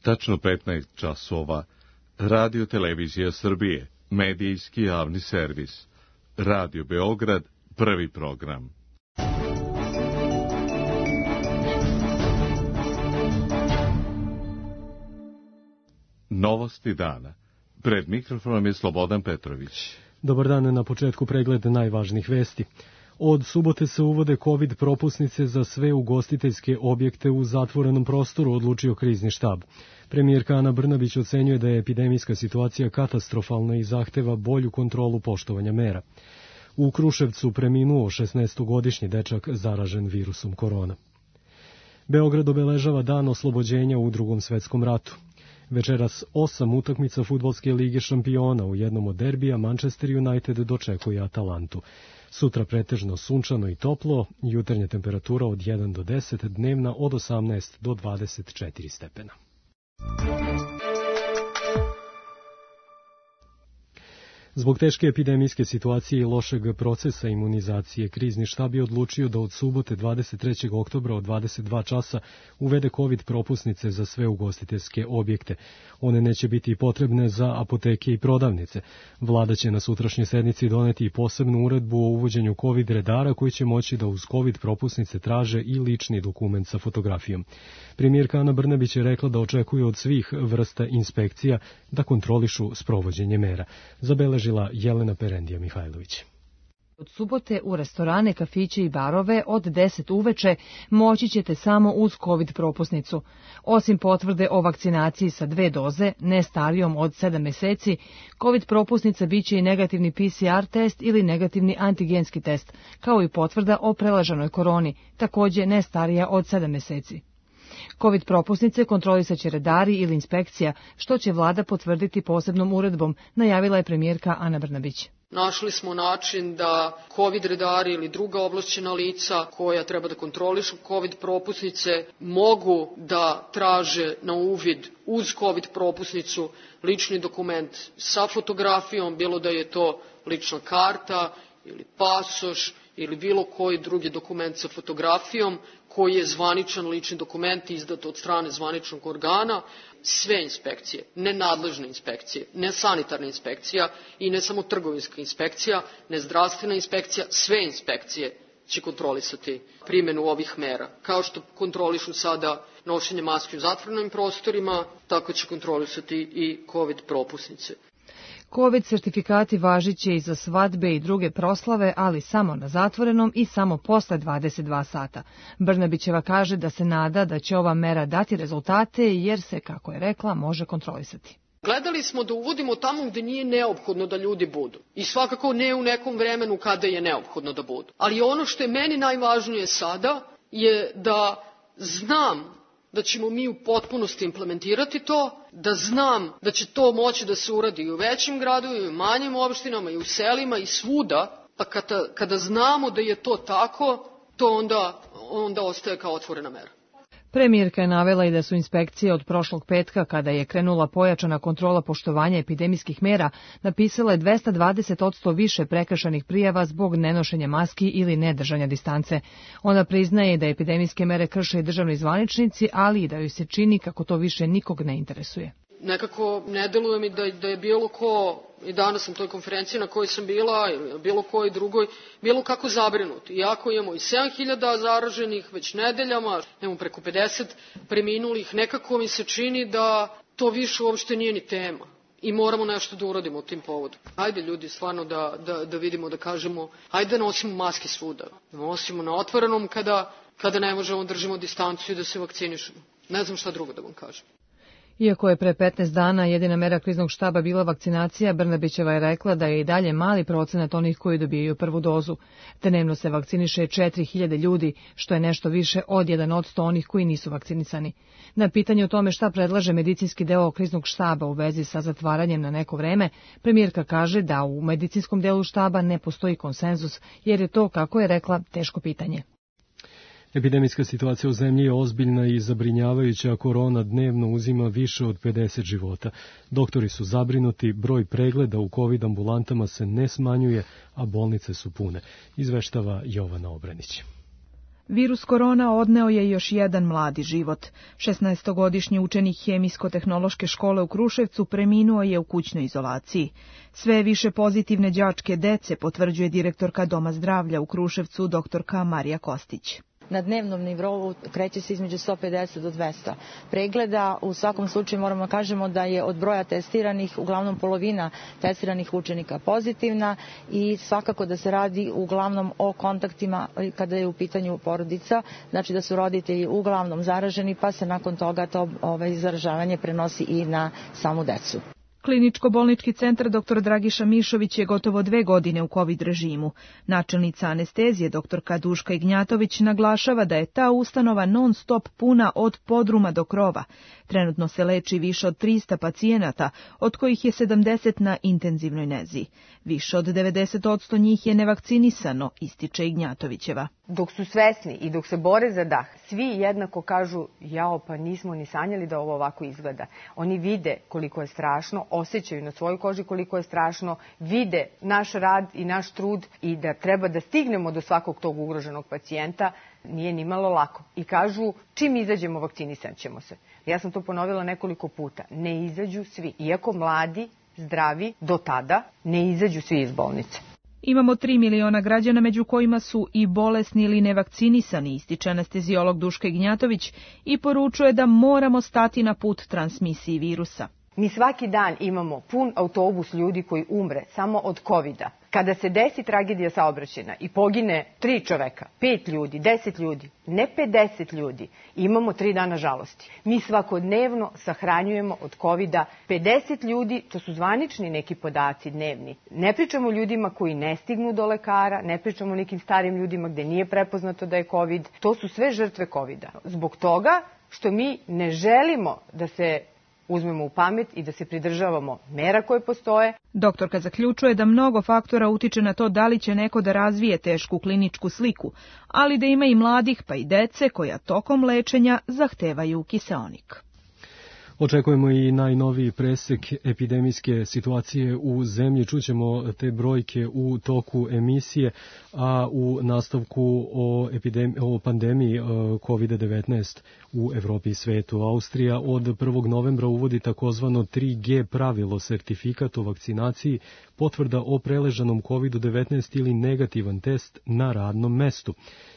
tačno 15 časova, Radio Televizija Srbije, medijski javni servis, Radio Beograd, prvi program. Novosti dana. Pred mikrofonom je Slobodan Petrović. Dobar dan, na početku pregled najvažnijih vesti. Od subote se uvode COVID propusnice za sve ugostiteljske objekte u zatvorenom prostoru, odlučio krizni štab. Premijerka Ana Brnabić ocenjuje da je epidemijska situacija katastrofalna i zahteva bolju kontrolu poštovanja mera. U Kruševcu preminuo 16-godišnji dečak zaražen virusom korona. Beograd obeležava dan oslobođenja u Drugom svetskom ratu. Večeras 8 utakmica fudbalske lige šampiona, u jednom od derbija Manchester United dočekuje Atalantu. Sutra pretežno sunčano i toplo, jutarnja temperatura od 1 do 10, dnevna od 18 do 24 stepena. Zbog teške epidemijske situacije i lošeg procesa imunizacije, krizni štab je odlučio da od subote 23. oktobra od 22 časa uvede COVID propusnice za sve ugostiteljske objekte. One neće biti potrebne za apoteke i prodavnice. Vlada će na sutrašnjoj sednici doneti i posebnu uredbu o uvođenju COVID redara koji će moći da uz COVID propusnice traže i lični dokument sa fotografijom. Premijerka Ana Brnabić je rekla da očekuje od svih vrsta inspekcija da kontrolišu sprovođenje mera. Zabeležila Jelena Perendija Mihajlović. Od subote u restorane, kafiće i barove od 10 uveče moći ćete samo uz COVID propusnicu. Osim potvrde o vakcinaciji sa 2 doze, ne starijom od 7 meseci, COVID propusnica biće i negativni PCR test ili negativni antigenski test, kao i potvrda o preležanoj koroni, takođe ne starija od 7 meseci. COVID propusnice kontrolisaće redari ili inspekcija, što će vlada potvrditi posebnom uredbom, najavila je premijerka Ana Brnabić. Našli smo način da COVID redari ili druga ovlašćena lica koja treba da kontrolišu COVID propusnice mogu da traže na uvid uz COVID propusnicu lični dokument sa fotografijom, bilo da je to lična karta ili pasoš ili bilo koji drugi dokument sa fotografijom koji je zvaničan lični dokument izdat od strane zvaničnog organa. Sve inspekcije, ne nadležne inspekcije, ne sanitarna inspekcija i ne samo trgovinska inspekcija, ne zdravstvena inspekcija, sve inspekcije će kontrolisati primjenu ovih mera. Kao što kontrolišu sada nošenje maske u zatvorenim prostorima, tako će kontrolisati i COVID propusnice. COVID sertifikati važiće i za svadbe i druge proslave, ali samo na zatvorenom i samo posle 22 sata. Brnabićeva kaže da se nada da će ova mera dati rezultate jer se, kako je rekla, može kontrolisati. Gledali smo da uvodimo tamo gde nije neophodno da ljudi budu. I svakako ne u nekom vremenu kada je neophodno da budu. Ali ono što je meni najvažnije sada je da znam da ćemo mi u potpunosti implementirati to, da znam da će to moći da se uradi i u većim gradovima, i u manjim opštinama, i u selima, i svuda, pa kada znamo da je to tako, to onda ostaje kao otvorena mera. Premijerka je navela i da su inspekcije od prošlog petka, kada je krenula pojačana kontrola poštovanja epidemijskih mera, napisale 220% više prekršajnih prijava zbog nenošenja maski ili nedržanja distance. Ona priznaje da epidemijske mere krše i državni zvaničnici, ali i da joj se čini kako to više nikog ne interesuje. Nekako ne deluje mi da je bilo ko, i danas na toj konferenciji na kojoj sam bila, ili bilo kojoj drugoj, bilo kako zabrinut. Iako imamo i 7.000 zaraženih već nedeljama, imamo preko 50 preminulih, nekako mi se čini da to više uopšte nije ni tema. I moramo nešto da uradimo u tim povodu. Hajde ljudi, stvarno da vidimo, da kažemo, hajde da nosimo maske svuda. Da nosimo na otvorenom kada ne možemo, držimo distancu i da se vakcinišemo. Ne znam šta drugo da vam kažem. Iako je pre 15 dana jedina mera kriznog štaba bila vakcinacija, Brnabićeva je rekla da je i dalje mali procenat onih koji dobijaju prvu dozu. Dnevno se vakciniše 4.000 ljudi, što je nešto više od 1% onih koji nisu vakcinisani. Na pitanje o tome šta predlaže medicinski deo kriznog štaba u vezi sa zatvaranjem na neko vreme, premijerka kaže da u medicinskom delu štaba ne postoji konsenzus, jer je to, kako je rekla, teško pitanje. Epidemijska situacija u zemlji je ozbiljna i zabrinjavajuća, a korona dnevno uzima više od 50 života. Doktori su zabrinuti, broj pregleda u COVID ambulantama se ne smanjuje, a bolnice su pune, izveštava Jovana Obranić. Virus korona odneo je još jedan mladi život. 16-godišnji učenik Hemijsko-tehnološke škole u Kruševcu preminuo je u kućnoj izolaciji. Sve više pozitivne đačke dece potvrđuje direktorka Doma zdravlja u Kruševcu dr. Marija Kostić. Na dnevnom nivou kreće se između 150 do 200 pregleda. U svakom slučaju moramo kažemo da je od broja testiranih uglavnom polovina testiranih učenika pozitivna i svakako da se radi uglavnom o kontaktima kada je u pitanju porodica, znači da su roditelji uglavnom zaraženi pa se nakon toga to zaražavanje prenosi i na samu decu. Kliničko-bolnički centar dr. Dragiša Mišović je gotovo 2 godine u COVID režimu. Načelnica anestezije dr. Duška Ignjatović naglašava da je ta ustanova non stop puna od podruma do krova. Trenutno se leči više od 300 pacijenata, od kojih je 70 na intenzivnoj nezi. Više od 90% njih je nevakcinisano, ističe Ignjatovićeva. Dok su svesni i dok se bore za dah, svi jednako kažu, jao pa nismo ni sanjali da ovo ovako izgleda. Oni vide koliko je strašno, osjećaju na svojoj koži koliko je strašno, vide naš rad i naš trud i da treba da stignemo do svakog tog ugroženog pacijenta, nije ni malo lako. I kažu, čim izađemo vakcinisat ćemo se. Ja sam to ponovila nekoliko puta. Ne izađu svi. Iako mladi, zdravi, do tada ne izađu svi iz bolnice. Imamo 3 miliona građana, među kojima su i bolesni ili nevakcinisani, ističe anestezijolog Duška Ignjatović i poručuje da moramo stati na put transmisiji virusa. Mi svaki dan imamo pun autobus ljudi koji umre samo od covida. Kada se desi tragedija saobraćajna i pogine 3 čoveka, 5 ljudi, 10 ljudi, ne 50 ljudi, imamo 3 dana žalosti. Mi svakodnevno sahranjujemo od covida 50 ljudi, to su zvanični neki podaci dnevni. Ne pričamo o ljudima koji ne stignu do lekara, ne pričamo o nekim starim ljudima gde nije prepoznato da je covid. To su sve žrtve covida. Zbog toga što mi ne želimo da se uzmemo u pamet i da se pridržavamo mera koje postoje. Doktorka zaključuje da mnogo faktora utiče na to da li će neko da razvije tešku kliničku sliku, ali da ima i mladih pa i dece koja tokom lečenja zahtevaju kiseonik. Očekujemo i najnoviji presek epidemijske situacije u zemlji. Čućemo te brojke u toku emisije, a u nastavku o pandemiji COVID-19 u Evropi i svetu. Austrija od 1. novembra uvodi takozvano 3G pravilo, sertifikat o vakcinaciji, potvrda o preležanom COVID-19 ili negativan test na radnom mestu.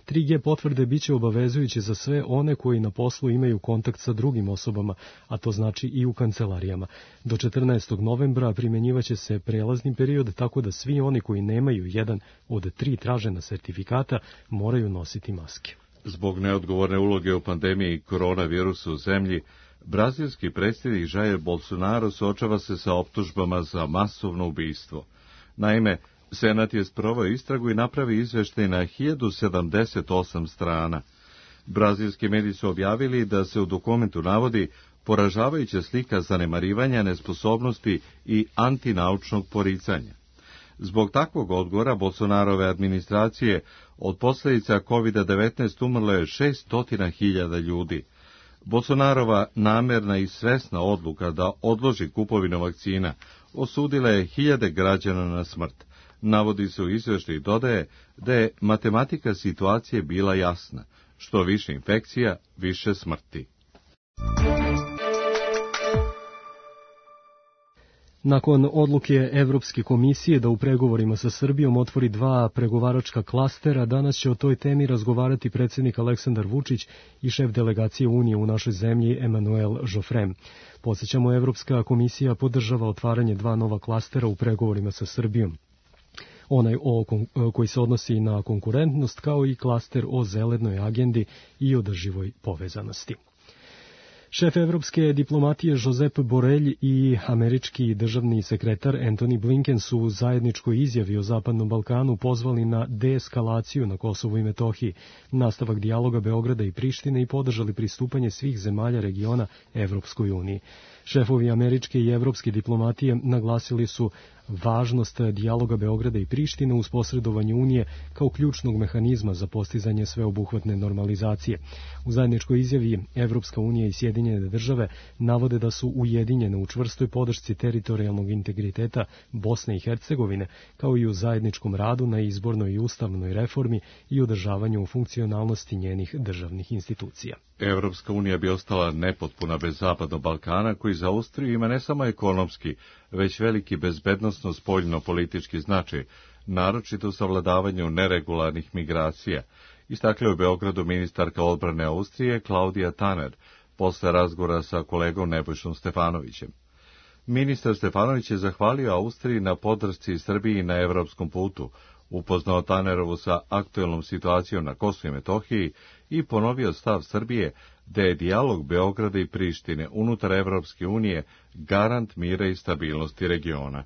3G potvrde biće obavezujuće za sve one koji na poslu imaju kontakt sa drugim osobama, a to znači i u kancelarijama. Do 14. novembra primjenjivaće se prelazni period, tako da svi oni koji nemaju jedan od 3 tražena sertifikata moraju nositi maske. Zbog neodgovorne uloge u pandemiji koronavirusa u zemlji, brazilski predsjednik Jair Bolsonaro suočava se sa optužbama za masovno ubistvo. Naime, Senat je sproveo istragu i napravi izveštaj na 1078 strana. Brazilski mediji su objavili da se u dokumentu navodi poražavajuća slika zanemarivanja, nesposobnosti i antinaučnog poricanja. Zbog takvog odgovora Bolsonarove administracije od posljedica COVID-19 umrlo je 600.000 ljudi. Bolsonarova namerna i svesna odluka da odloži kupovinu vakcina osudila je 1000 građana na smrt. Navodi se u izvještaju i dodaje da je matematika situacije bila jasna. Što više infekcija, više smrti. Nakon odluke Evropske komisije da u pregovorima sa Srbijom otvori 2 pregovaračka klastera, danas će o toj temi razgovarati predsjednik Aleksandar Vučić i šef delegacije Unije u našoj zemlji Emmanuel Joffrem. Podsjećamo, Evropska komisija podržava otvaranje 2 nova klastera u pregovorima sa Srbijom. Onaj koji se odnosi na konkurentnost, kao i klaster o zelenoj agendi i održivoj povezanosti. Šef evropske diplomatije Josep Borrell i američki državni sekretar Antony Blinken su u zajedničkoj izjavi o Zapadnom Balkanu pozvali na deeskalaciju na Kosovu i Metohiji, nastavak dijaloga Beograda i Prištine i podržali pristupanje svih zemalja regiona Evropskoj uniji. Šefovi američke i evropske diplomatije naglasili su važnost dijaloga Beograda i Prištine uz posredovanje Unije kao ključnog mehanizma za postizanje sveobuhvatne normalizacije. U zajedničkoj izjavi Evropska unija i Sjedinjene države navode da su ujedinjene u čvrstoj podršci teritorijalnog integriteta Bosne i Hercegovine, kao i u zajedničkom radu na izbornoj i ustavnoj reformi i održavanju funkcionalnosti njenih državnih institucija. Evropska unija bi ostala nepotpuna bez Zapadnog Balkana, koji za Austriju ima ne samo ekonomski, već veliki bezbednosno spoljno-politički značaj, naročito u savladavanju neregularnih migracija, istakla je u Beogradu ministarka odbrane Austrije Klaudija Tanner, posle razgovora sa kolegom Nebojšom Stefanovićem. Ministar Stefanović je zahvalio Austriji na podršci Srbiji na evropskom putu, upoznao Tanerovu sa aktuelnom situacijom na Kosovu i Metohiji i ponovio stav Srbije da je dijalog Beograda i Prištine unutar Evropske unije garant mira i stabilnosti regiona.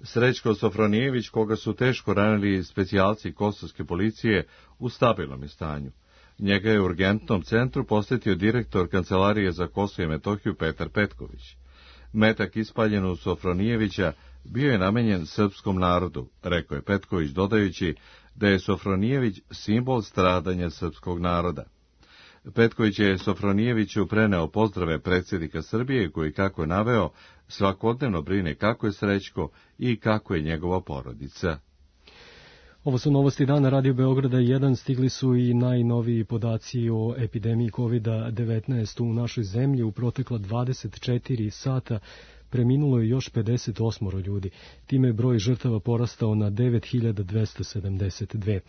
Srećko Sofronijević, koga su teško ranili specijalci kosovske policije, u stabilnom je stanju. Njega je u urgentnom centru posjetio direktor Kancelarije za Kosovo i Metohiju Petar Petković. Metak ispaljen u Sofronijevića bio je namenjen srpskom narodu, rekao je Petković, dodajući da je Sofronijević simbol stradanja srpskog naroda. Petković je Sofronijeviću preneo pozdrave predsjednika Srbije, koji, kako je naveo, svakodnevno brine kako je Srećko i kako je njegova porodica. Ovo su novosti dana Radio Beograda 1. Stigli su i najnoviji podaci o epidemiji COVID-19 u našoj zemlji. U protekla 24 sata preminulo je još 58 ljudi. Time je broj žrtava porastao na 9272.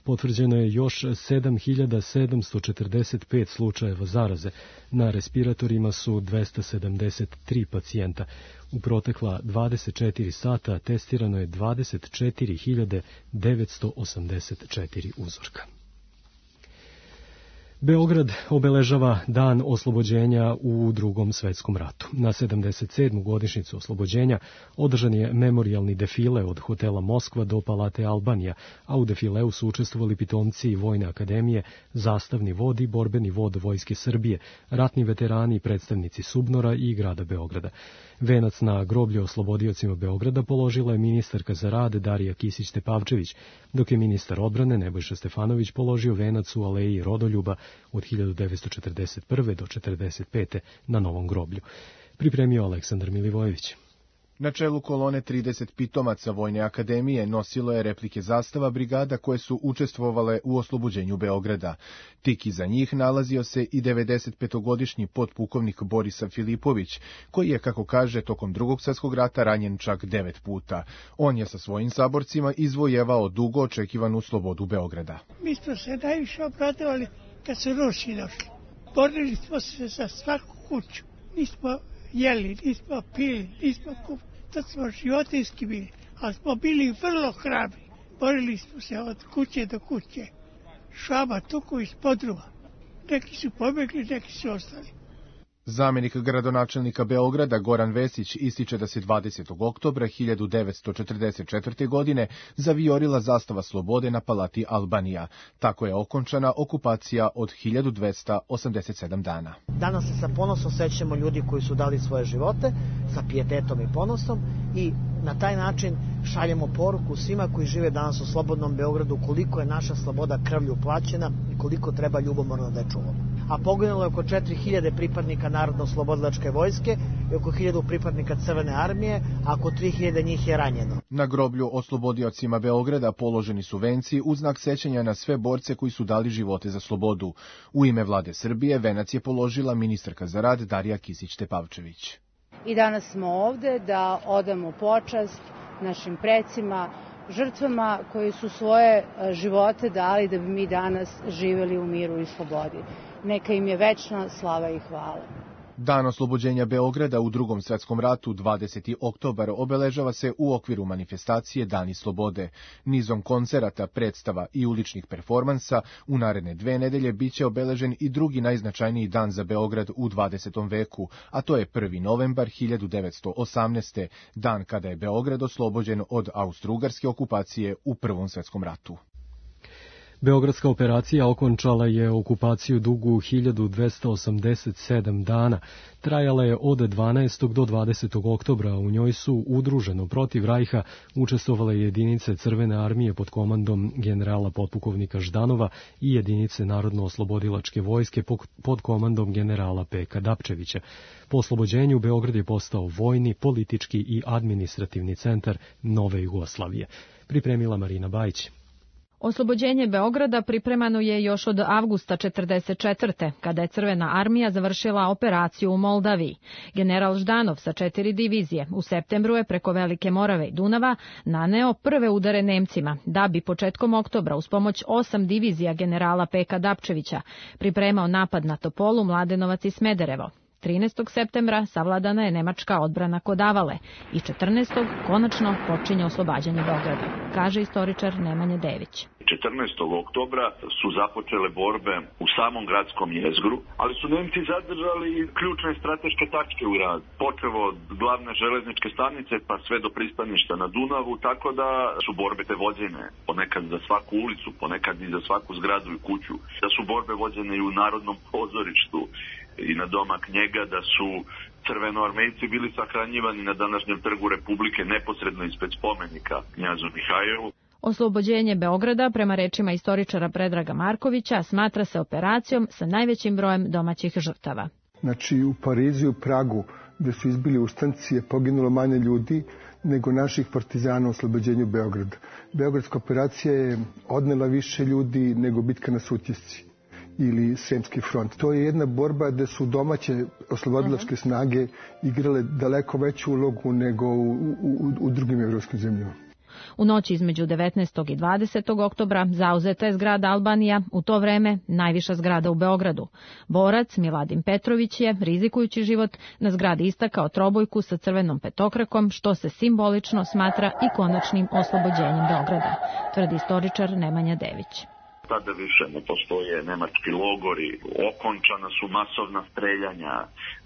Potvrđeno je još 7745 slučajeva zaraze. Na respiratorima su 273 pacijenta. U protekla 24 sata testirano je 24.984 uzorka. Beograd obeležava dan oslobođenja u Drugom svetskom ratu. Na 77. godišnjicu oslobođenja održan je memorijalni defile od hotela Moskva do Palate Albanija, a u defileu su učestvovali pitomci Vojne akademije, zastavni vod i borbeni vod Vojske Srbije, ratni veterani i predstavnici Subnora i grada Beograda. Venac na groblje oslobodiocima Beograda položila je ministarka za rad Darija Kisić-Tepavčević, dok je ministar odbrane Nebojša Stefanović položio venac u aleji Rodoljuba od 1941. do 1945. na Novom groblju. Pripremio Aleksandar Milivojević. Na čelu kolone 30 pitomaca Vojne akademije nosilo je replike zastava brigada koje su učestvovale u oslobođenju Beograda. Tik iza njih nalazio se i 95-godišnji potpukovnik Borisav Filipović, koji je, kako kaže, tokom Drugog svjetskog rata ranjen čak 9 puta. On je sa svojim saborcima izvojevao dugo očekivanu slobodu Beograda. Mi smo se najviše obradovali kad su Rusi došli. Borili smo se za svaku kuću. Nismo jeli, nismo pili, nismo kupili. To smo životinski bili, ali smo bili vrlo hrabri. Borili smo se od kuće do kuće. Švaba, tuku iz podruma. Neki su pobjegli, neki su ostali. Zamenik gradonačelnika Beograda Goran Vesić ističe da se 20. oktobra 1944. godine zavijorila zastava slobode na Palati Albanija. Tako je okončana okupacija od 1287 dana. Danas se sa ponosom sećamo ljudi koji su dali svoje živote, sa pijetetom i ponosom, i na taj način šaljemo poruku svima koji žive danas u slobodnom Beogradu koliko je naša sloboda krvlju plaćena i koliko treba ljubomorno da je čuvamo. A poginulo je oko 4000 pripadnika Narodno-slobodilačke vojske i oko 1000 pripadnika Crvene armije, a oko 3000 njih je ranjeno. Na groblju oslobodiocima Beograda položeni su venci u znak sećanja na sve borce koji su dali živote za slobodu. U ime vlade Srbije venac je položila ministarka za rad Darija Kisić-Tepavčević. I danas smo ovde da odamo počast našim precima, žrtvama koji su svoje živote dali da bi mi danas živeli u miru i slobodi. Neka im je večna slava i hvala. Dan oslobođenja Beograda u Drugom svjetskom ratu, 20. oktobar, obeležava se u okviru manifestacije Dani slobode. Nizom koncerata, predstava i uličnih performansa u naredne 2 nedelje biće obeležen i drugi najznačajniji dan za Beograd u 20. veku, a to je 1. novembar 1918. dan kada je Beograd oslobođen od austro-ugarske okupacije u Prvom svjetskom ratu. Beogradska operacija okončala je okupaciju dugu 1287 dana. Trajala je od 12. do 20. oktobra. U njoj su udruženo protiv Rajha učestvovale jedinice Crvene armije pod komandom generala potpukovnika Ždanova i jedinice Narodno-oslobodilačke vojske pod komandom generala Peka Dapčevića. Po oslobođenju Beograd je postao vojni, politički i administrativni centar nove Jugoslavije. Pripremila Marina Bajić. Oslobođenje Beograda pripremano je još od avgusta 1944. kada je Crvena armija završila operaciju u Moldaviji. General Ždanov sa 4 divizije u septembru je preko Velike Morave i Dunava naneo prve udare Nemcima, da bi početkom oktobra uz pomoć 8 divizija generala Peka Dapčevića pripremao napad na Topolu, Mladenovac i Smederevo. 13. septembra savladana je nemačka odbrana kod Avale i 14. konačno počinje oslobađanje Beograda, kaže istoričar Nemanja Dević. 14. oktobra su započele borbe u samom gradskom jezgru, ali su Nemci zadržali ključne strateške tačke u radu, počevo od glavne železničke stanice pa sve do pristaništa na Dunavu, tako da su borbe te vođene ponekad za svaku ulicu, ponekad i za svaku zgradu i kuću, da su borbe vođene i u Narodnom pozorištu i na domak njega, da su crvenoarmejci bili sahranjivani na današnjem trgu Republike neposredno ispred spomenika knjazu Mihajlovu. Oslobođenje Beograda, prema rečima istoričara Predraga Markovića, smatra se operacijom sa najvećim brojem domaćih žrtava. Znači u Parizu i u Pragu, gde su izbili ustanci, je poginulo manje ljudi nego naših partizana u oslobođenju Beograda. Beogradska operacija je odnela više ljudi nego bitka na Sutjesci ili Sremski front. To je jedna borba gde su domaće oslobodilačke snage igrale daleko veću ulogu nego u drugim evropskim zemljama. U noći između 19. i 20. oktobra zauzeta je zgrada Albanija, u to vreme najviša zgrada u Beogradu. Borac Miladin Petrović je, rizikujući život, na zgradi istakao trobojku sa crvenom petokrakom, što se simbolično smatra i konačnim oslobođenjem Beograda, tvrdi istoričar Nemanja Dević. Tada više ne postoje nemački logori, okončana su masovna streljanja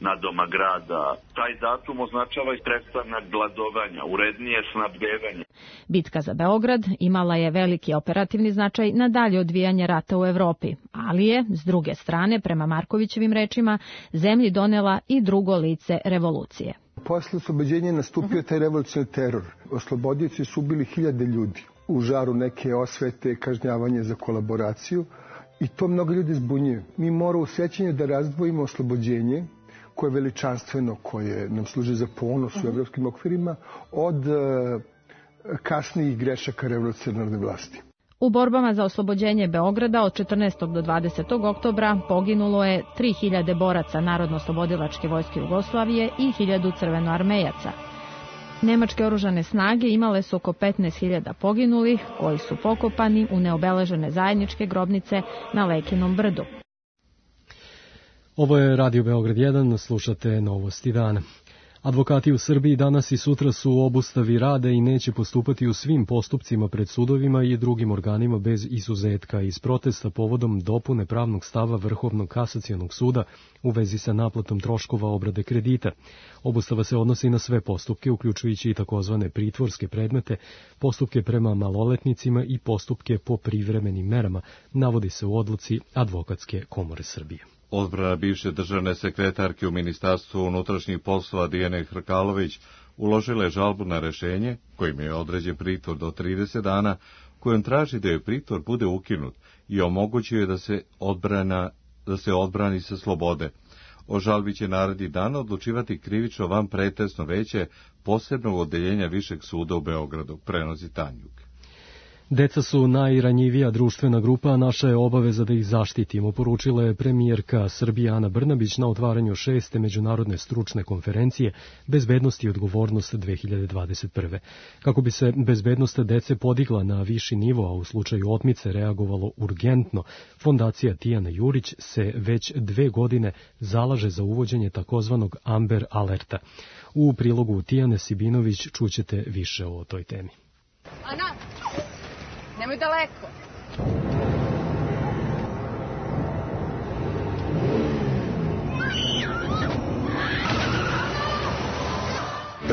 na doma grada. Taj datum označava i prestanak gladovanja, urednije snabdevanje. Bitka za Beograd imala je veliki operativni značaj na dalje odvijanje rata u Evropi, ali je, s druge strane, prema Markovićevim rečima, zemlji donela i drugo lice revolucije. Posle oslobođenja nastupio taj revolucionarni teror. Oslobodioci su ubili 1000 ljudi. U žaru neke osvete, kažnjavanje za kolaboraciju i to mnogo ljudi zbunjuje. Mi moramo u sjećanju da razdvojimo oslobođenje, koje je veličanstveno, koje nam služi za ponos u evropskim okvirima, od kasnijih grešaka revolucionarne vlasti. U borbama za oslobođenje Beograda od 14. do 20. oktobra poginulo je 3000 boraca Narodno-oslobodilačke vojske Jugoslavije i 1000 crvenoarmejaca. Nemačke oružane snage imale su oko 15.000 poginulih, koji su pokopani u neobeležene zajedničke grobnice na Lekinom brdu. Ovo je Radio Beograd 1, slušate Novosti dana. Advokati u Srbiji danas i sutra su u obustavi rada i neće postupati u svim postupcima pred sudovima i drugim organima bez izuzetka iz protesta povodom dopune pravnog stava Vrhovnog kasacionog suda u vezi sa naplatom troškova obrade kredita. Obustava se odnosi na sve postupke, uključujući i takozvane pritvorske predmete, postupke prema maloletnicima i postupke po privremenim merama, navodi se u odluci Advokatske komore Srbije. Odbrana bivše državne sekretarke u Ministarstvu unutrašnjih poslova Dijane Hrkalović uložila je žalbu na rešenje, kojim je određen pritvor do 30 dana, kojom traži da joj pritvor bude ukinut i omogućuje da se odbrani sa slobode. O žalbi će narednih dana odlučivati krivično vanpretresno veće posebnog odeljenja Višeg suda u Beogradu, prenosi Tanjuk. Deca su najranjivija društvena grupa, a naša je obaveza da ih zaštitimo, poručila je premijerka Srbije Ana Brnabić na otvaranju 6. međunarodne stručne konferencije Bezbednost i odgovornost 2021. Kako bi se bezbednost dece podigla na viši nivo, a u slučaju otmice reagovalo urgentno, Fondacija Tijana Jurić se već 2 godine zalaže za uvođenje takozvanog Amber Alerta. U prilogu Tijane Sibinović čućete više o toj temi. Ana, nemoj daleko.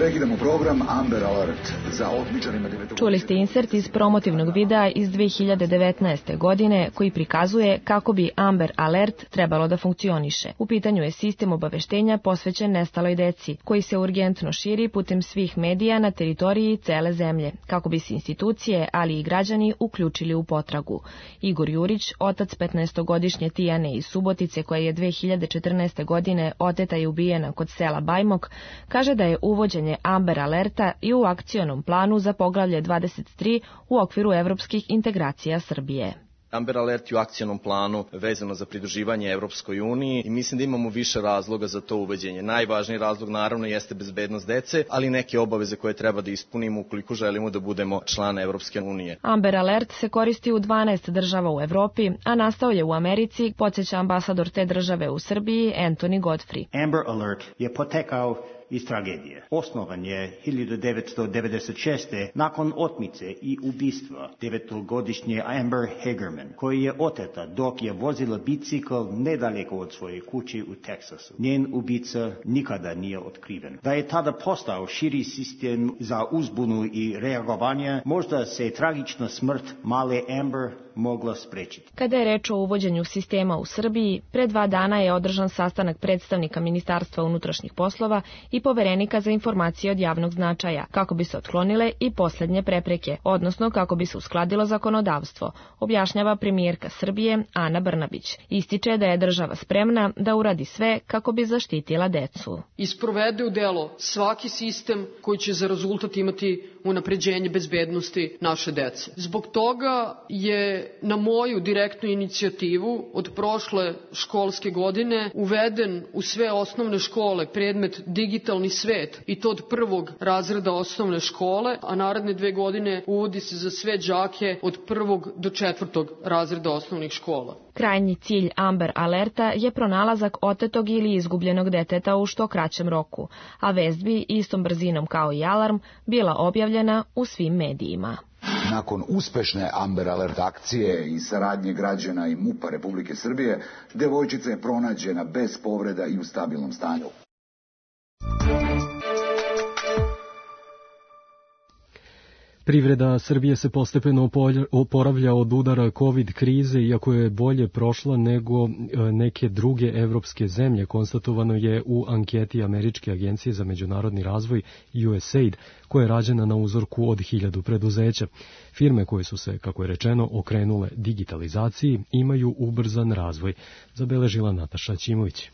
Prekidamo program Amber Alert za otmičarima 9. Čuli ste insert iz promotivnog videa iz 2019. godine koji prikazuje kako bi Amber Alert trebalo da funkcioniše. U pitanju je sistem obaveštenja posvećen nestaloj deci, koji se urgentno širi putem svih medija na teritoriji cele zemlje, kako bi se institucije, ali i građani uključili u potragu. Igor Jurić, otac 15-godišnje Tijane iz Subotice, koja je 2014. godine oteta i ubijena kod sela Bajmok, kaže da je uvođenje Amber Alerta i u akcionom planu za poglavlje 23 u okviru evropskih integracija Srbije. Amber Alert je u akcionom planu vezano za pridruživanje Evropskoj uniji i mislim da imamo više razloga za to uvođenje. Najvažniji razlog naravno jeste bezbednost dece, ali neke obaveze koje treba da ispunimo ukoliko želimo da budemo član Evropske unije. Amber Alert se koristi u 12 država u Evropi, a nastao je u Americi, podsjeća ambasador te države u Srbiji, Anthony Godfrey. Amber Alert je potekao iz tragedije. Osnovan je 1996. nakon otmice i ubistva 9-godišnje Amber Hagerman, koji je oteta dok je vozila bicikl nedaleko od svoje kuće u Teksasu. Njen ubica nikada nije otkriven. Da je tada postao širi sistem za uzbunu i reagovanje, možda se tragična smrt male Amber mogla sprečiti. Kada je reč o uvođenju sistema u Srbiji, pre 2 dana je održan sastanak predstavnika Ministarstva unutrašnjih poslova i poverenika za informacije od javnog značaja, kako bi se otklonile i poslednje prepreke, odnosno kako bi se uskladilo zakonodavstvo, objašnjava premijerka Srbije Ana Brnabić. Ističe da je država spremna da uradi sve kako bi zaštitila decu. I sprovede u delo svaki sistem koji će za rezultat imati unapređenje bezbednosti naše dece. Zbog toga je na moju direktnu inicijativu od prošle školske godine uveden u sve osnovne škole predmet digitalni svet i to od 1. razreda osnovne škole, a naredne 2 godine uvodi se za sve đake od 1. do 4. razreda osnovnih škola. Krajnji cilj Amber Alerta je pronalazak otetog ili izgubljenog deteta u što kraćem roku, a vest bi istom brzinom kao i alarm bila objavljena u svim medijima. Nakon uspešne Amber Alert akcije i saradnje građana i MUP-a Republike Srbije, devojčica je pronađena bez povreda i u stabilnom stanju. Privreda Srbije se postepeno oporavlja od udara COVID krize, iako je bolje prošla nego neke druge evropske zemlje, konstatovano je u anketi Američke agencije za međunarodni razvoj USAID, koja je rađena na uzorku od 1000 preduzeća. Firme koje su se, kako je rečeno, okrenule digitalizaciji imaju ubrzan razvoj, zabeležila Nataša Ćimović.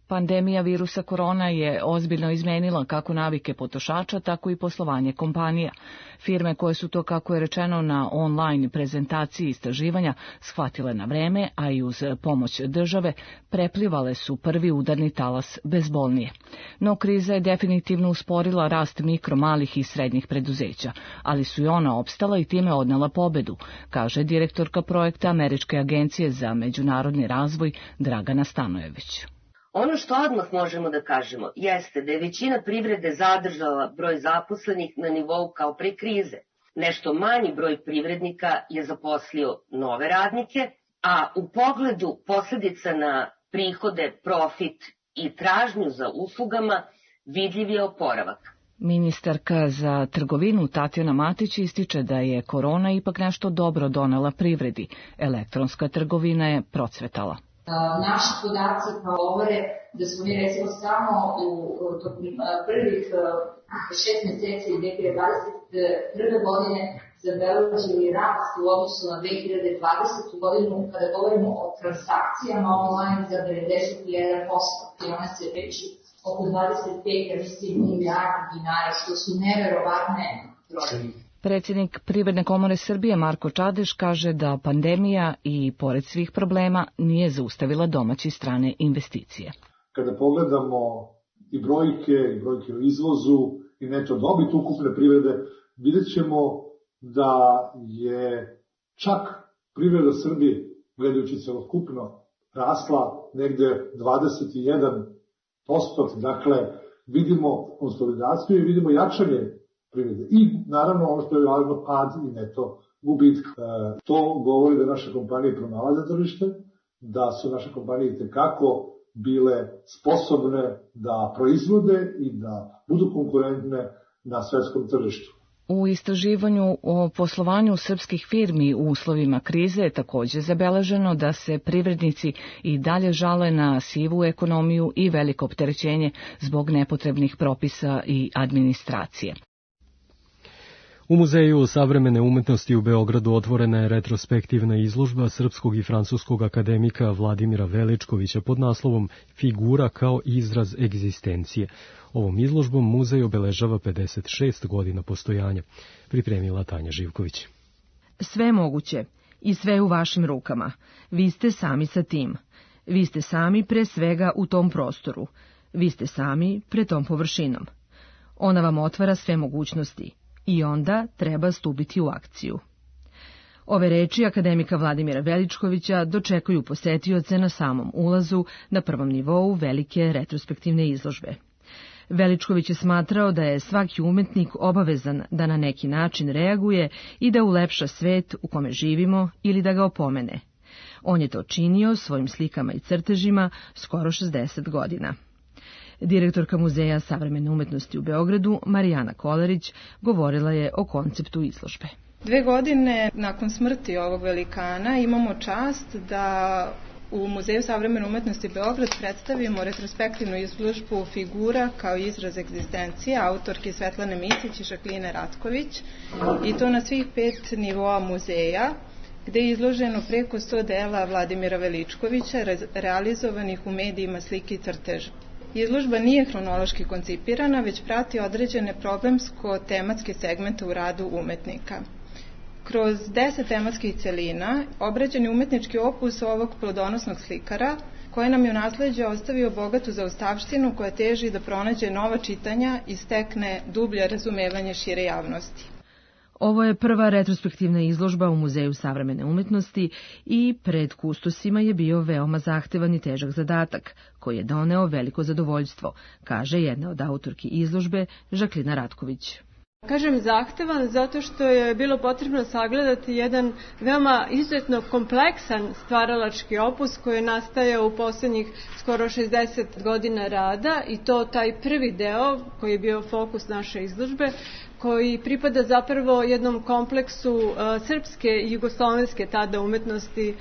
Pandemija virusa korona je ozbiljno izmenila kako navike potrošača, tako i poslovanje kompanija. Firme koje su to, kako je rečeno na online prezentaciji istraživanja, shvatile na vreme, a i uz pomoć države, preplivale su prvi udarni talas bezbolnije. No kriza je definitivno usporila rast mikro, malih i srednjih preduzeća, ali su i ona opstala i time odnela pobedu, kaže direktorka projekta Američke agencije za međunarodni razvoj Dragana Stanojević. Ono što odmah možemo da kažemo jeste da je većina privrede zadržala broj zaposlenih na nivou kao pre krize. Nešto manji broj privrednika je zaposlio nove radnike, a u pogledu posledica na prihode, profit i tražnju za uslugama vidljiv je oporavak. Ministarka za trgovinu Tatjana Matić ističe da je korona ipak nešto dobro donela privredi. Elektronska trgovina je procvetala. Naši podaci govore da smo mi recimo samo u prvih 6 meseci 2021. godine zabeležili rast u odnosu na 2020. godinu kada govorimo o transakcijama online za 91% i one se veći oko 25 milijardi dinara, što su neverovatne brojke. Predsjednik Privredne komore Srbije Marko Čadeš kaže da pandemija i pored svih problema nije zaustavila domaće i strane investicije. Kada pogledamo i brojke o izvozu i neto dobit ukupne privrede, vidjet ćemo da je čak privreda Srbije, gledajući celokupno, rasla negde 21%, dakle vidimo konsolidaciju i vidimo jačanje privrede. I naravno ono što je važno, pad i neto gubitka. To govori da naše kompanije pronalaze tržište, da su naše kompanije itekako bile sposobne da proizvode i da budu konkurentne na svetskom tržištu. U istraživanju o poslovanju srpskih firmi u uslovima krize je takođe zabeleženo da se privrednici i dalje žale na sivu ekonomiju i veliko opterećenje zbog nepotrebnih propisa i administracije. U Muzeju savremene umetnosti u Beogradu otvorena je retrospektivna izložba srpskog i francuskog akademika Vladimira Veličkovića pod naslovom Figura kao izraz egzistencije. Ovom izložbom muzej obeležava 56 godina postojanja, pripremila Tanja Živković. Sve moguće i sve u vašim rukama. Vi ste sami sa tim. Vi ste sami pre svega u tom prostoru. Vi ste sami pre tom površinom. Ona vam otvara sve mogućnosti. I onda treba stupiti u akciju. Ove reči akademika Vladimira Veličkovića dočekuju posetioce na samom ulazu na prvom nivou velike retrospektivne izložbe. Veličković je smatrao da je svaki umetnik obavezan da na neki način reaguje i da ulepša svet u kome živimo ili da ga opomene. On je to činio svojim slikama i crtežima skoro 60 godina. Direktorka Muzeja savremene umetnosti u Beogradu, Marijana Kolarić, govorila je o konceptu izložbe. 2 godine nakon smrti ovog velikana imamo čast da u Muzeju savremene umetnosti Beograd predstavimo retrospektivnu izložbu Figura kao izraz egzistencije autorke Svetlane Micić i Žakline Ratković, i to na svih 5 nivoa muzeja, gde je izloženo preko 100 dela Vladimira Veličkovića realizovanih u medijima slike i crteža. Izložba nije hronološki koncipirana, već prati određene problemsko-tematske segmente u radu umetnika. Kroz 10 tematskih celina obrađen je umetnički opus ovog plodonosnog slikara, koji nam je u nasleđe ostavio bogatu zaostavštinu koja teži da pronađe nova čitanja i stekne dublje razumevanje šire javnosti. Ovo je prva retrospektivna izložba u Muzeju savremene umetnosti i pred kustosima je bio veoma zahtevan i težak zadatak, koji je doneo veliko zadovoljstvo, kaže jedna od autorki izložbe, Žaklina Ratković. Kažem zahtevan zato što je bilo potrebno sagledati jedan veoma izuzetno kompleksan stvaralački opus koji je nastajao u poslednjih skoro 60 godina rada, i to taj prvi deo koji je bio fokus naše izložbe, koji pripada zapravo jednom kompleksu srpske i jugoslovenske tada umetnosti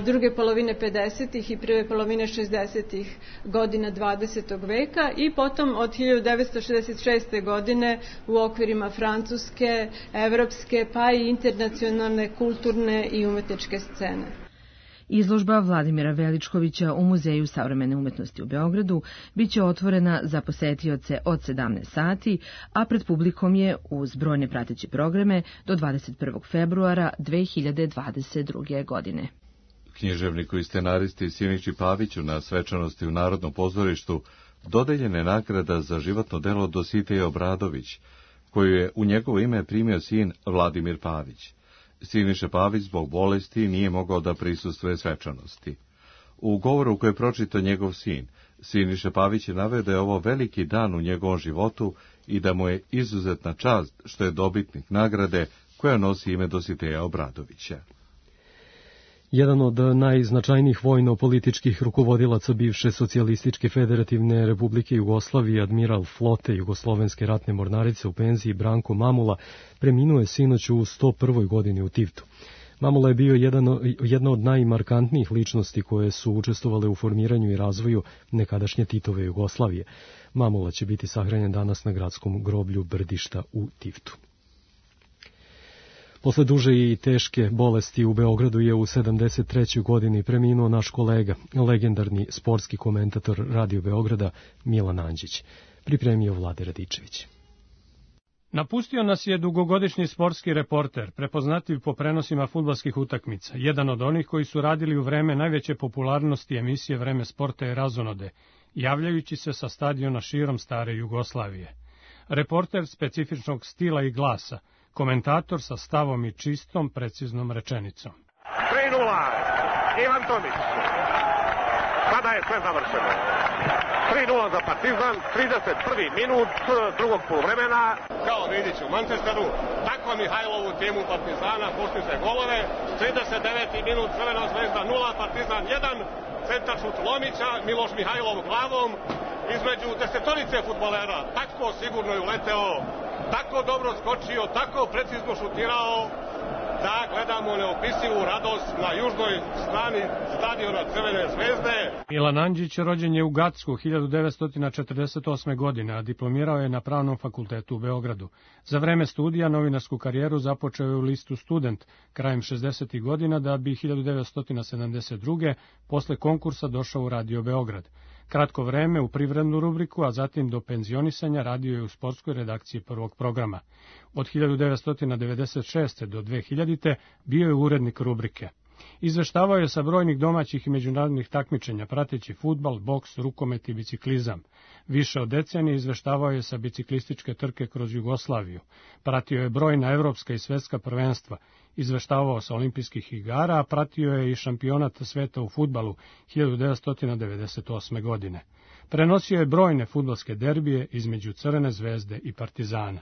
druge polovine 50. i prve polovine 60. godina 20. veka i potom od 1966. godine u okvirima francuske, evropske pa i internacionalne kulturne i umetničke scene. Izložba Vladimira Veličkovića u Muzeju savremene umetnosti u Beogradu biće otvorena za posetioce od 17 sati, a pred publikom je uz brojne prateće programe do 21. februara 2022. godine. Književniku i scenaristi Siniši Paviću na svečanosti u Narodnom pozorištu dodeljena je nagrada za životno delo Dositej Obradović, koju je u njegovo ime primio sin Vladimir Pavić. Siniša Pavić zbog bolesti nije mogao da prisustvuje svečanosti. U govoru koje je pročitao njegov sin, Siniša Pavić je naveo da je ovo veliki dan u njegovom životu i da mu je izuzetna čast što je dobitnik nagrade koja nosi ime Dositeja Obradovića. Jedan od najznačajnijih vojno-političkih rukovodilaca bivše socijalističke federativne republike Jugoslavije, admiral flote Jugoslovenske ratne mornarice u penziji Branko Mamula, preminuo je sinoć u 101. godini u Tivtu. Mamula je bio jedna od najmarkantnijih ličnosti koje su učestvovale u formiranju i razvoju nekadašnje Titove Jugoslavije. Mamula će biti sahranjen danas na gradskom groblju Brdišta u Tivtu. Posle duže i teške bolesti u Beogradu je u 73. godini preminuo naš kolega, legendarni sportski komentator Radio Beograda Milan Anđić. Pripremio Vlade Radičević. Napustio nas je dugogodišnji sportski reporter, prepoznatljiv po prenosima fudbalskih utakmica, jedan od onih koji su radili u vreme najveće popularnosti emisije Vreme sporta i razonode, javljajući se sa stadiona širom stare Jugoslavije. Reporter specifičnog stila i glasa, komentator sa stavom i čistom, preciznom rečenicom. 3:0, Ivan Tomić. Sada je sve završeno. 3:0 za Partizan, 31. minut drugog poluvremena. Kao Vidić u Manchesteru, tako Mihajlovu timu Partizana postiže golove. 39. minut Crvena zvezda 0, Partizan 1. centaršut Lomića, Miloš Mihajlov glavom, između desetorice fudbalera, tako sigurno je uleteo, tako dobro skočio, tako precizno šutirao, da gledamo neopisivu radost na južnoj strani stadiona Crvene zvezde. Milan Andžić rođen je u Gacku 1948. godine, a diplomirao je na Pravnom fakultetu u Beogradu. Za vreme studija novinarsku karijeru započeo je u listu Student krajem 60. godina, da bi 1972. posle konkursa došao u Radio Beograd. Kratko vreme u privrednu rubriku, a zatim do penzionisanja radio je u sportskoj redakciji Prvog programa. Od 1996. do 2000. bio je urednik rubrike. Izveštavao je sa brojnih domaćih i međunarodnih takmičenja, prateći fudbal, boks, rukomet i biciklizam. Više od decenije izveštavao je sa biciklističke trke kroz Jugoslaviju. Pratio je brojna evropska i svetska prvenstva. Izveštavao sa olimpijskih igara, a pratio je i šampionat sveta u fudbalu 1998. godine. Prenosio je brojne fudbalske derbije između Crvene zvezde i Partizana.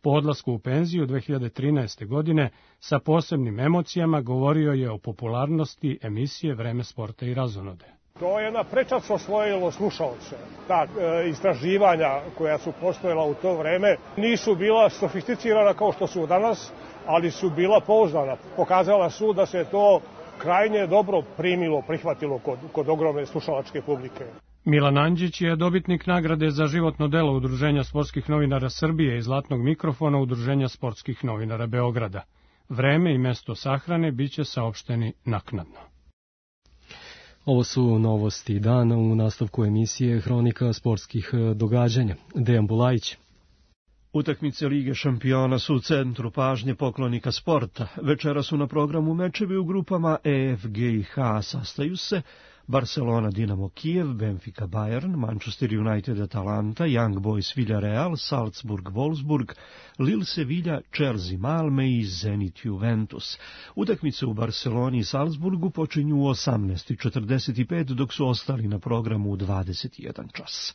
Po odlasku u penziju 2013. godine sa posebnim emocijama govorio je o popularnosti emisije Vreme sporta i razonode. To je jedna prečac osvojilo slušaoce. Ta istraživanja koja su postojala u to vreme nisu bila sofisticirana kao što su danas, ali su bila pouzdana. Pokazala su da se to krajnje dobro primilo, prihvatilo kod ogromne slušalačke publike. Milan Andžić je dobitnik nagrade za životno delo Udruženja sportskih novinara Srbije i Zlatnog mikrofona Udruženja sportskih novinara Beograda. Vreme i mesto sahrane biće saopšteni naknadno. Ovo su novosti dana u nastavku emisije Hronika sportskih događanja. Dejan Bulajić. Utakmice Lige šampiona su u centru pažnje poklonika sporta. Večera su na programu mečevi u grupama E, F, G i H. Sastaju se Barcelona, Dinamo Kijev, Benfica, Bayern, Manchester United, Atalanta, Young Boys, Villarreal, Salzburg, Wolfsburg, Lille, Sevilla, Chelsea, Malme i Zenit, Juventus. Utakmice u Barceloni i Salzburgu počinju u 18:45, dok su ostali na programu u 21 čas.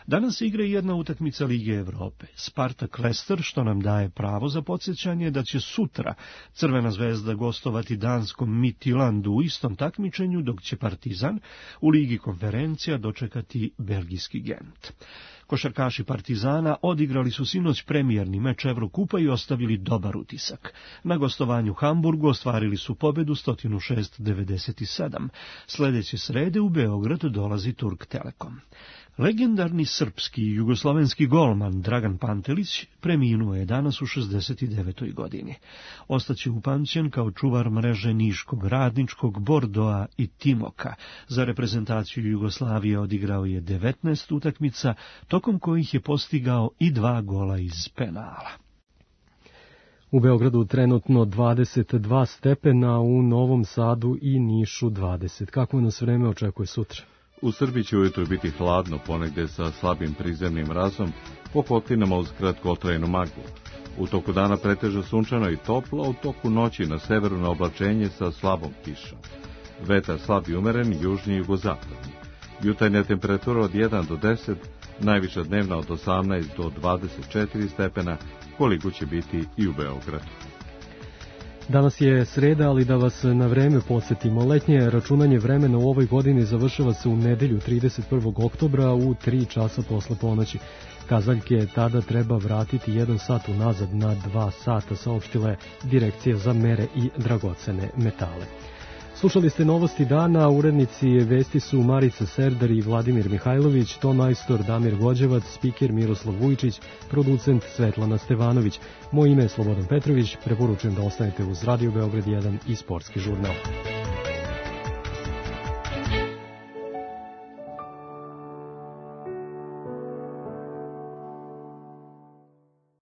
Danas igra jedna utakmica Lige Evrope, Spartak Leicester, što nam daje pravo za podsjećanje da će sutra Crvena zvezda gostovati danskom Midtjyllandu u istom takmičenju, dok će Partizan u Ligi konferencija dočekati belgijski Gent. Košarkaši Partizana odigrali su sinoć premijerni meč Evrokupa i ostavili dobar utisak. Na gostovanju u Hamburgu ostvarili su pobedu 106-97. Sledeće srede u Beograd dolazi Turk Telekom. Legendarni srpski i jugoslovenski golman Dragan Pantelić preminuo je danas u 69. godini. Ostaće upamćen kao čuvar mreže Niškog, Radničkog, Bordoa i Timoka. Za reprezentaciju Jugoslavije odigrao je 19 utakmica, tokom kojih je postigao i 2 gola iz penala. U Beogradu trenutno 22 stepena, u Novom Sadu i Nišu 20. Kako nas vreme očekuje sutra? U Srbiji će ujutro biti hladno, ponegde sa slabim prizemnim mrazom, po potlinama uz kratkotrajnu maglu. U toku dana pretežno sunčano i toplo, a u toku noći na severu na oblačenje sa slabom kišom. Vetar slab i umeren, južni i jugozapadni. Jutarnja temperatura od 1 do 10, najviša dnevna od 18 do 24 stepena, koliko će biti i u Beogradu. Danas je sreda, ali da vas na vreme podsjetimo. Letnje računanje vremena u ovoj godini završava se u nedelju 31. oktobra u 3 časa posle ponoći. Kazaljke tada treba vratiti 1 sat unazad na 2 sata, saopštila je Direkcija za mere i dragocene metale. Slušali ste novosti dana, urednici vesti su Marica Serdar i Vladimir Mihajlović, ton majstor Damir Gođevac, spiker Miroslav Vujčić, producent Svetlana Stevanović. Moje ime je Slobodan Petrović, preporučujem da ostanete uz Radio Beograd 1 i Sportski žurnal.